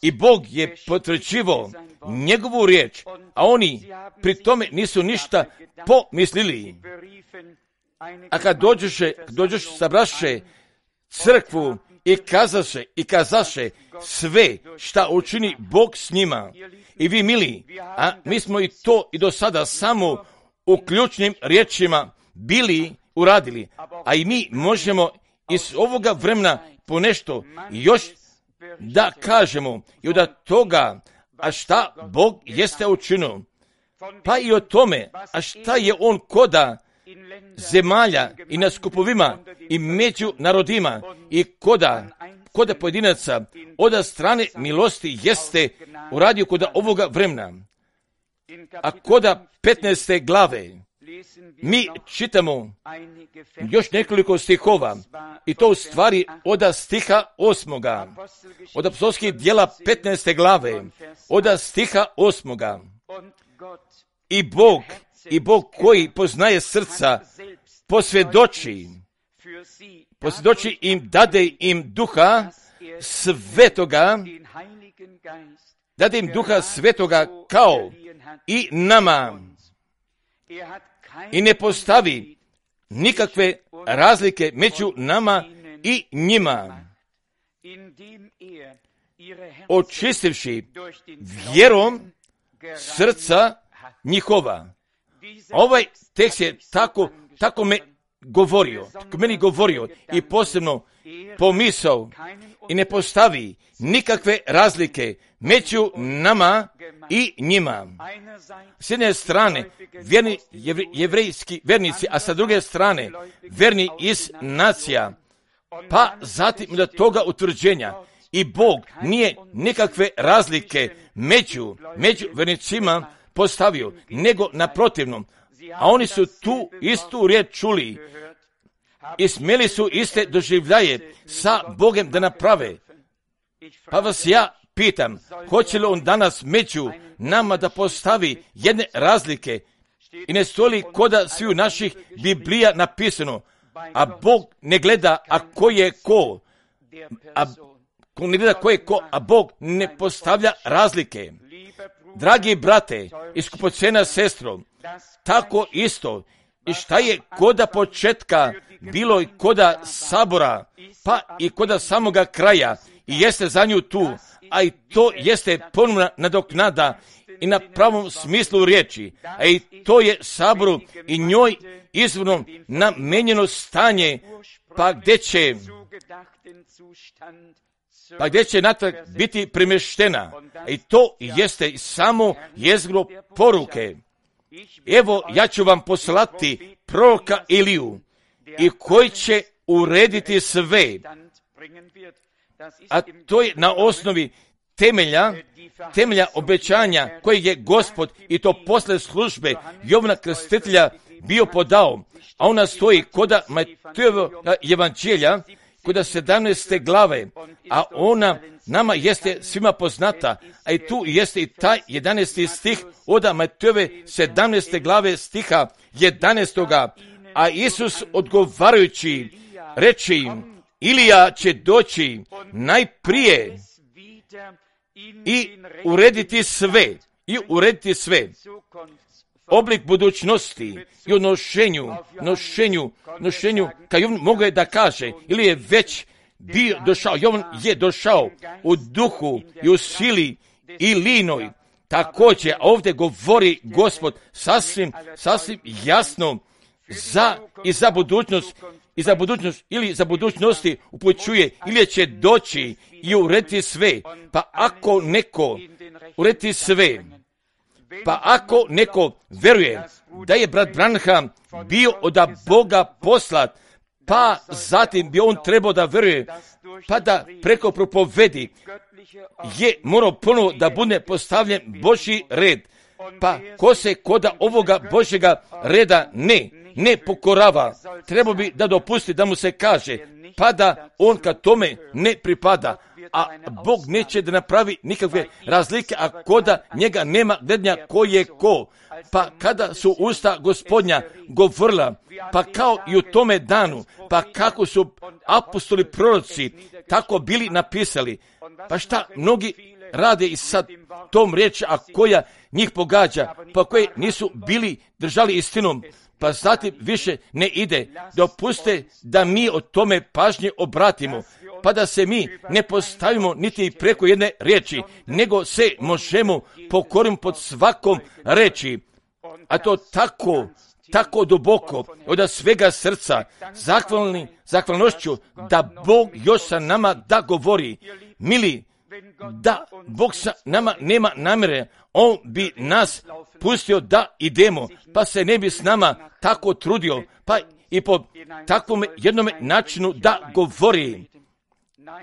I Bog je potvrđivao njegovu riječ, a oni pri tome nisu ništa pomislili. A kad dođoše, sabraše crkvu i kazaše sve šta učini Bog s njima. I vi mili, a mi smo i to i do sada samo u ključnim riječima bili uradili, a i mi možemo iz ovoga vremena ponešto još da kažemo i od toga, a šta Bog jeste učinio, pa i o tome, a šta je on koda zemalja i na skupovima i među narodima i koda pojedinaca od strane milosti jeste uradio koda ovoga vremena. A koda 15. glave mi čitamo još nekoliko stihova i to u stvari od stiha 8. Od apostolskih djela 15. glave od stiha 8. I Bog koji poznaje srca posvjedoči im, dade im duha svetoga, kao i nama, i ne postavi nikakve razlike među nama i njima, očistivši vjerom srca njihova. Ovaj tekst je tako meni govorio i posebno pomisao, i ne postavi nikakve razlike među nama i njima. S jedne strane jevrejski vernici, a sa druge strane verni iz nacija, pa zatim do toga utvrđenja. I Bog nije nikakve razlike među vernicima postavio, nego naprotivno. A oni su tu istu riječ čuli i smjeli su iste doživljaje sa Bogom da naprave. Pa vas ja pitam, hoće li on danas među nama da postavi jedne razlike, i ne stoji koda svi u naših Biblija napisano, a Bog ne gleda ko je ko, a Bog ne postavlja razlike. Dragi brate i skupocena sestro, tako isto, i šta je koda početka bilo i koda sabora, pa i koda samoga kraja, i jeste za nju tu, a i to jeste ponovna nadoknada i na pravom smislu riječi, a i to je saboru i njoj izvorno namenjeno stanje, pa gdje će natrag biti premještena. I to jeste samo jezgro poruke. Evo, ja ću vam poslati proroka Iliju, i koji će urediti sve, a to je na osnovi temelja obećanja koje je Gospod, i to posle službe Jovana Krstitelja, bio podao, a ona stoji koda Matejeva evanđelja, koda 17. glave, a ona nama jeste svima poznata, a i tu jeste i taj 11. stih od Matejeve 17. glave stiha 11. A Isus odgovarajući reče im, Ilija će doći najprije i urediti sve, oblik budućnosti i o nošenju, kao Jovan mogu da kaže, ili je već bio došao, Jovan je došao u duhu i u sili i linoj. Također, ovdje govori Gospod sasvim jasno za budućnost ili za budućnosti upućuje, ili će doći i urediti sve. Pa ako neko urediti sve, pa ako neko veruje da je brat Branham bio od Boga poslat, pa zatim bi on trebao da veruje, pa da preko propovedi je morao ponovo da bude postavljen Božji red. Pa ko se koda ovoga Božjega reda ne pokorava, treba bi da dopusti da mu se kaže, pa da on ka tome ne pripada, a Bog neće da napravi nikakve razlike, a koda njega nema gledanja ko je ko. Pa kada su usta Gospodnja govorila, pa kao i u tome danu, pa kako su apostoli proroci tako bili napisali, pa šta mnogi rade i sad tom riječi, a koja njih pogađa, pa koji nisu bili držali istinom, pa zatim više ne ide. Dopuste da mi o tome pažnje obratimo, pa da se mi ne postavimo niti preko jedne riječi, nego se možemo pokoriti pod svakom riječi. a to tako duboko, od svega srca, zahvalnošću da Bog još sa nama da govori. Mili, da Bog sa nama nema namjere, On bi nas pustio da idemo, pa se ne bi s nama tako trudio, pa i po takvom jednom načinu da govori.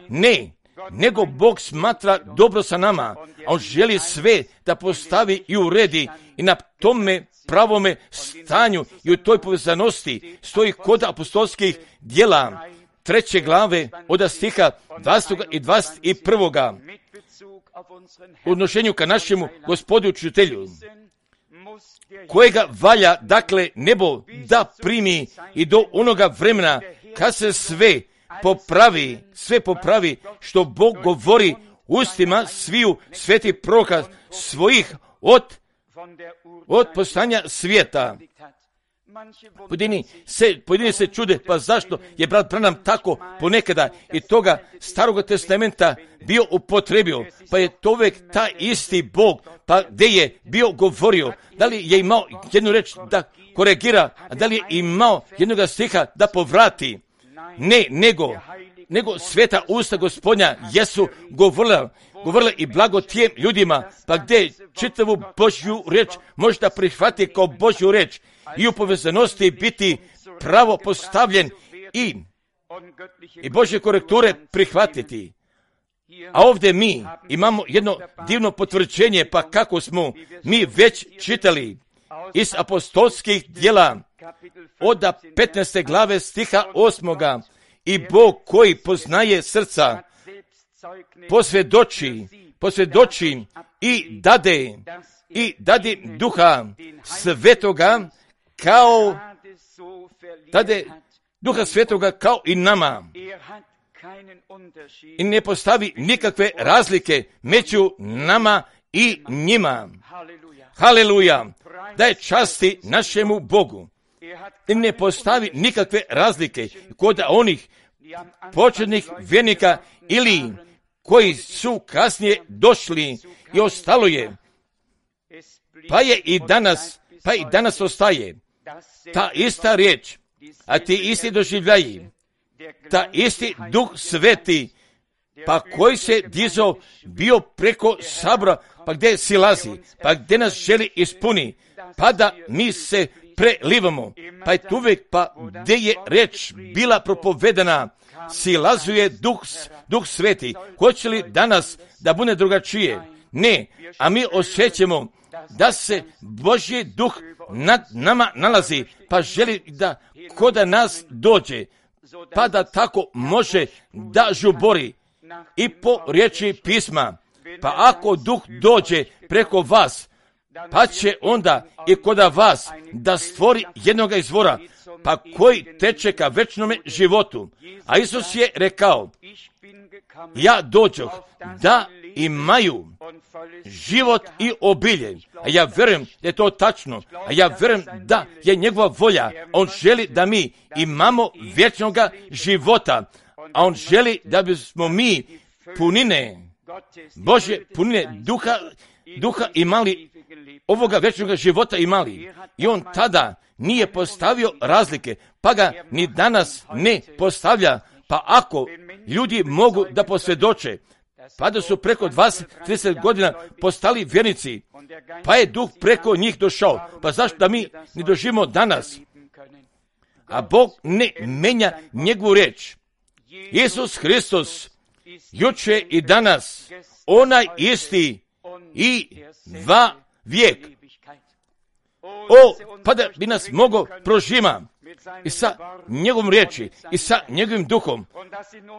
Ne, nego Bog smatra dobro sa nama, a On želi sve da postavi i uredi i na tome pravome stanju i u toj povezanosti stoji kod apostolskih djela 3. glave od stiha 20. i 21. u odnošenju ka našemu Gospodu učitelju, kojega valja, dakle, nebo da primi i do onoga vremena kad se sve popravi što Bog govori ustima sviju svetih proroka svojih od postanja svijeta. Pojedini se čude, pa zašto je brat Branham tako ponekada i toga Starog testamenta bio upotrebio, pa je to uvijek taj isti Bog, pa gdje je bio govorio, da li je imao jednu reč da koregira, a da li je imao jednoga stiha da povrati. Ne, nego sveta usta Gospodnja jesu govorila i blago tijem ljudima, pa gdje čitavu Božju reč možda prihvatiti kao Božju reč i u povezanosti biti pravo postavljen i Božje korekture prihvatiti. A ovdje mi imamo jedno divno potvrđenje, pa kako smo mi već čitali iz apostolskih djela od 15. glave stiha 8. I Bog koji poznaje srca posvjedoči i dade Duha Svetoga kao i nama. I ne postavi nikakve razlike među nama i njima. Haleluja! Daj časti našemu Bogu. I ne postavi nikakve razlike kod onih početnih vjernika ili koji su kasnije došli i ostalo je. Pa i danas ostaje ta ista riječ, a ti isti doživljaji, ta isti Duh Sveti, pa koji se dizao bio preko sabora, pa gdje silazi, pa gdje nas želi ispuni, pa da mi se prelivamo, pa je tu uvijek, pa gdje je reč bila propovedana, silazuje Duh Sveti. Hoće li danas da bude drugačije? Ne, a mi osjećamo da se Božji Duh nad nama nalazi, pa želi da kod nas dođe, pa da tako može da žubori i po riječi pisma. Pa ako Duh dođe preko vas, pa će onda i kod vas da stvori jednoga izvora, pa koji teče ka večnome životu. A Isus je rekao, ja dođoh da imaju život i obilje. A ja vjerujem da je to tačno. A ja vjerujem da je njegova volja. On želi da mi imamo vječnoga života. A on želi da bismo mi punine, Božje punine duha imali, ovoga vječnoga života imali. I on tada nije postavio razlike, pa ga ni danas ne postavlja. Pa ako ljudi mogu da posvjedoče, pa da su preko 20-30 godina postali vjernici, pa je Duh preko njih došao, pa zašto da mi ne doživimo danas? A Bog ne menja njegovu riječ. Isus Hristos, juče i danas, onaj isti i va vijek. Pa da bi nas mogao prožima i sa njegovom riječi i sa njegovim duhom,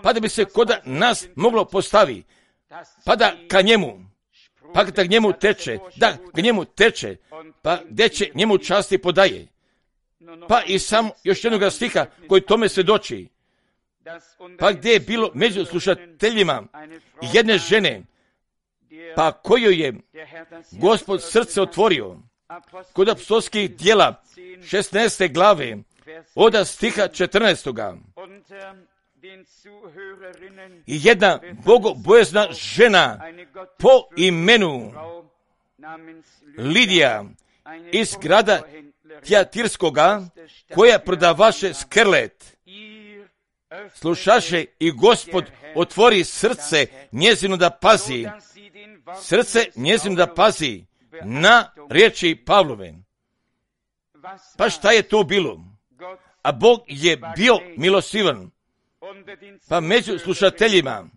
pa da bi se kod nas moglo postavi, pa da ka njemu teče, pa gdje će njemu časti podaje. Pa i sam još jednog stiha koji tome svjedoči, pa gdje je bilo među slušateljima jedne žene, pa koju je Gospod srce otvorio, kod apostolskih djela 16. glave od stiha 14. I jedna bogobojazna žena po imenu Lidija iz grada Tijatirskoga, koja prodavaše skrlet. Slušaše i Gospod otvori srce njezino da pazi. Srce njezino da pazi na riječi Pavlove. Pa šta je to bilo? A Bog je bio milostivan. Pa među slušateljima,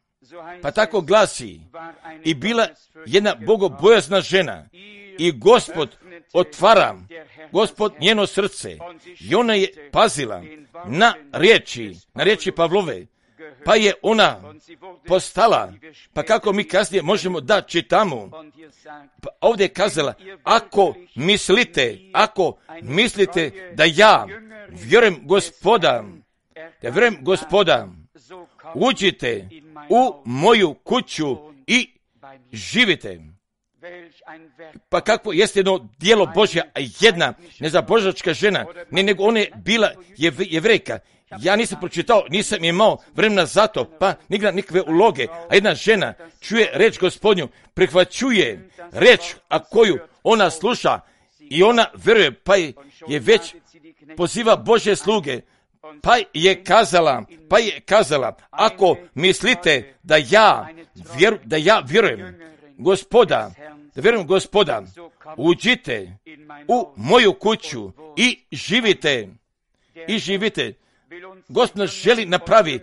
pa tako glasi, i bila jedna bogobojazna žena, i Gospod otvara, Gospod njeno srce, i ona je pazila na riječi Pavlove, pa je ona postala, pa kako mi kasnije možemo da čitamo, pa ovdje je kazala, ako mislite da ja vjerujem Gospoda, uđite u moju kuću i živite. Pa kako jeste jedno djelo Božja, jedna nezabožačka žena, nego ona je bila Jevrejka. Ja nisam pročitao, nisam imao vremena za to, pa nigra nikakve uloge. A jedna žena čuje reč Gospodnju, prihvaćuje reč, a koju ona sluša i ona vjeruje, pa je već poziva Božje sluge, pa je kazala, ako mislite da ja vjerujem Gospoda, uđite u moju kuću i živite. Gospod nas želi napravi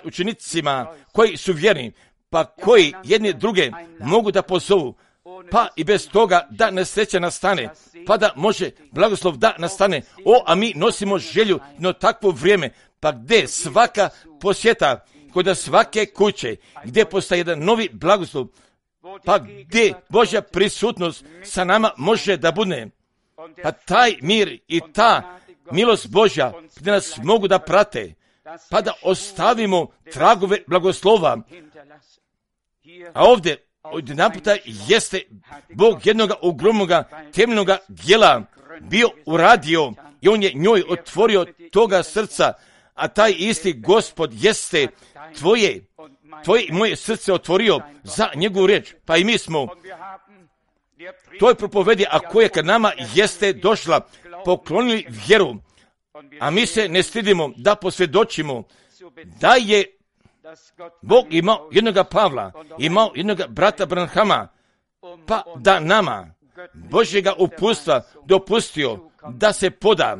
učenicima koji su vjerni, pa koji jedni druge mogu da pozovu, pa i bez toga da nesreća nastane, pa da može blagoslov da nastane. A mi nosimo želju na takvo vrijeme, pa gdje svaka posjeta, kod svake kuće, gdje postaje jedan novi blagoslov, pa gdje Božja prisutnost sa nama može da bude, pa taj mir i ta milost Božja gdje nas mogu da prate, pa da ostavimo tragove blagoslova. A ovdje odjedanputa jeste Bog jednoga ogromnoga temeljnoga djela bio uradio i on je njoj otvorio toga srca, a taj isti Gospod jeste tvoje i moje srce otvorio za njegovu riječ. Pa i mi smo toj propovedi, a koja kad nama jeste došla, poklonili vjeru, a mi se ne stidimo da posvjedočimo da je Bog imao jednoga Pavla, imao jednoga brata Branhama, pa da nama Božjega uputstva dopustio da se poda.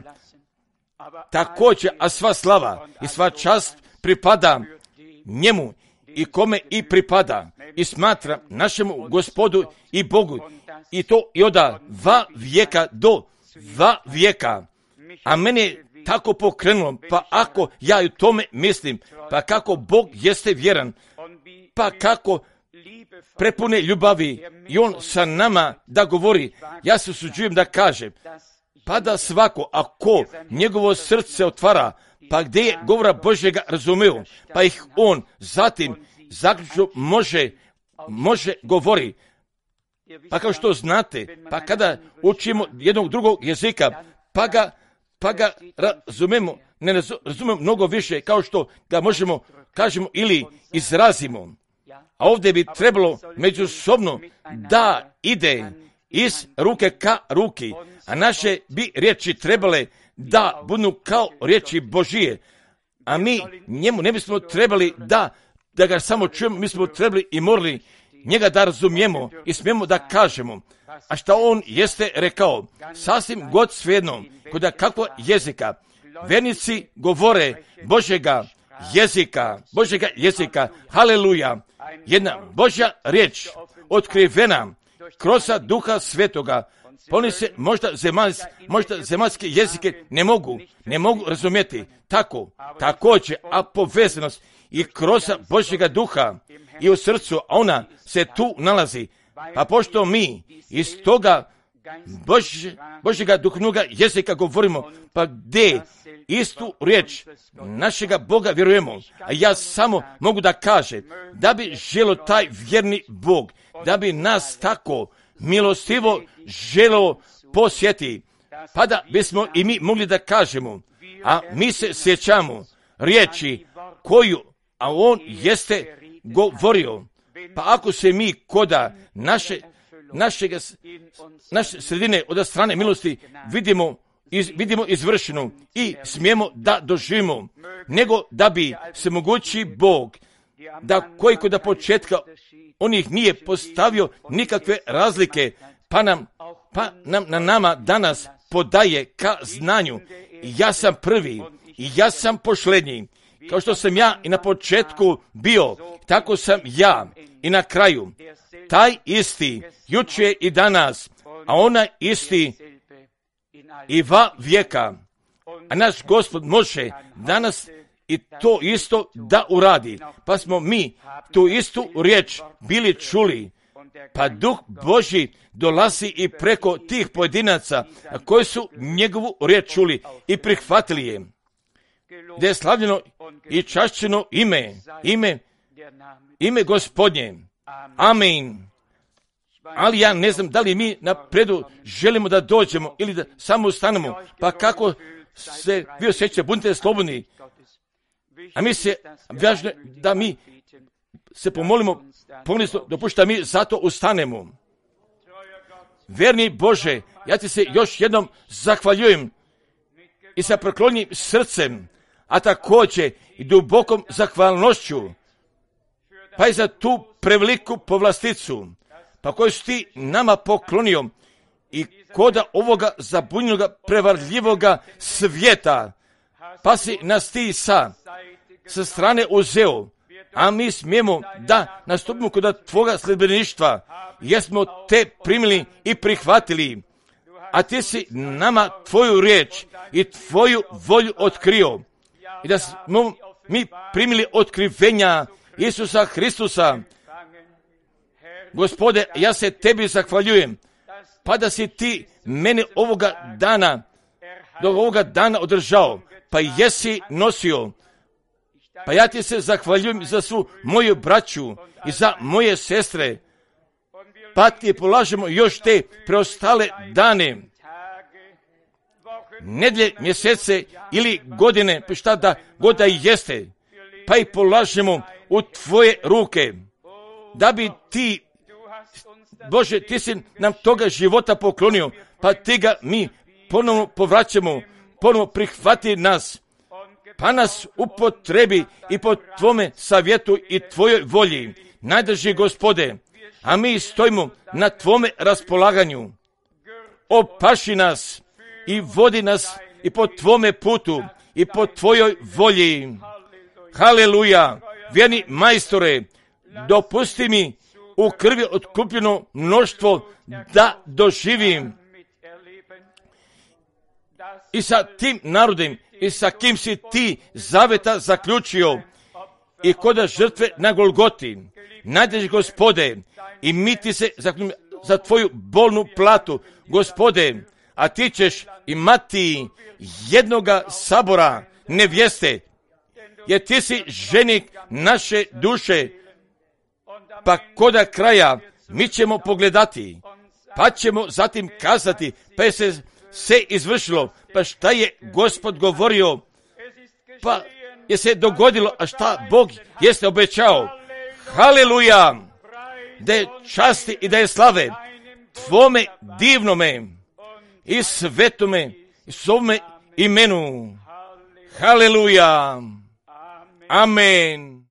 Također, a sva slava i sva čast pripada njemu i kome i pripada i smatra našemu Gospodu i Bogu, i to i od vijeka do vijeka. A mene je tako pokrenulo, pa ako ja u tome mislim, pa kako Bog jeste vjeran, pa kako prepune ljubavi i on sa nama da govori, ja se usuđujem da kažem, pa da svako, ako njegovo srce otvara, pa gdje je govora Božjega razumeo, pa ih on zatim zaključno može govori. Pa kao što znate, pa kada učimo jednog drugog jezika, pa ga razumemo, ne razumemo mnogo više kao što ga možemo kažemo ili izrazimo. A ovdje bi trebalo međusobno da ide iz ruke ka ruki, a naše bi riječi trebale da budu kao riječi Božije. A mi njemu ne bismo trebali da ga samo čujemo, mi smo trebali i morali njega da razumijemo i smijemo da kažemo. A šta on jeste rekao, sasvim god svejedno, kod kakvog jezika, vernici govore Božjega jezika, haleluja, jedna Božja riječ, otkrivena kroz Duha Svetoga, oni se možda zemaljske jezike ne mogu razumjeti, također, a povezanost i kroz Božjega Duha i u srcu, ona se tu nalazi, pa pošto mi iz toga Božjega duhovnoga jezika govorimo, pa gdje istu riječ našega Boga vjerujemo, a ja samo mogu da kažem da bi želio taj vjerni Bog, da bi nas tako milostivo želio posjeti, pa da bismo i mi mogli da kažemo, a mi se sjećamo riječi koju, a on jeste govorio, pa ako se mi koda naše naše sredine od strane milosti vidimo izvršenu i smijemo da doživimo, nego da bi se mogući Bog, da koji kod početka on ih nije postavio nikakve razlike, pa na nama danas podaje ka znanju. Ja sam prvi i ja sam posljednji. Kao što sam ja i na početku bio, tako sam ja i na kraju. Taj isti, jučer i danas, a onaj isti i va vijeka. A naš Gospod može danas i to isto da uradi. Pa smo mi tu istu riječ bili čuli. Pa Duh Božji dolazi i preko tih pojedinaca koji su njegovu riječ čuli i prihvatili je. Da je slavljeno i čašćeno ime Gospodnje. Amen. Ali ja ne znam da li mi napredu želimo da dođemo ili da samo ustanemo. Pa kako se vi osjećate, budite slobodni. A mi se važno da mi se pomolimo, dopušta mi zato ustanemo. Verni Bože, ja ti se još jednom zahvaljujem i sa preklonjenim srcem, a također i dubokom zahvalnošću, pa i za tu preveliku povlasticu, pa koju si ti nama poklonio i koda ovoga zabunjenog prevarljivoga svijeta, pa si nas ti sa strane uzeo, a mi smijemo da nastupimo kod tvoga sljedbeništva, jer smo te primili i prihvatili, a ti si nama tvoju riječ i tvoju volju otkrio i da smo mi primili otkrivenja Isusa Hristusa. Gospode, ja se tebi zahvaljujem, pa da si ti mene do ovoga dana održao, pa jesi nosio. Pa ja ti se zahvaljujem za svu moju braću i za moje sestre, pa ti polažemo još te preostale dane, nedjelje, mjesece ili godine, pa šta da god da jeste, pa i polažemo u tvoje ruke, da bi ti, Bože, ti si nam toga života poklonio, pa ti ga mi ponovno povraćamo, ponovno prihvati nas, pa nas upotrebi i po tvome savjetu i tvojoj volji, najdrži Gospode, a mi stojimo na tvome raspolaganju. Opaši nas i vodi nas i po tvome putu i po tvojoj volji. Haleluja, vjerni majstore, dopusti mi u krvi otkupljeno mnoštvo da doživim i sa tim narodom i sa kim si ti zaveta zaključio i koda žrtve na Golgoti. Najdeš, Gospode, i mi ti se za tvoju bolnu platu, Gospode, a ti ćeš imati jednoga sabora nevjeste, jer ti si ženik naše duše, pa koda kraja mi ćemo pogledati, pa ćemo zatim kazati, pa je se izvršilo, pa šta je Gospod govorio, pa je se dogodilo, a šta Bog jeste obećao. Haleluja, da je časti i da je slave tvome divnome i svetome i svome imenu. Haleluja, amen.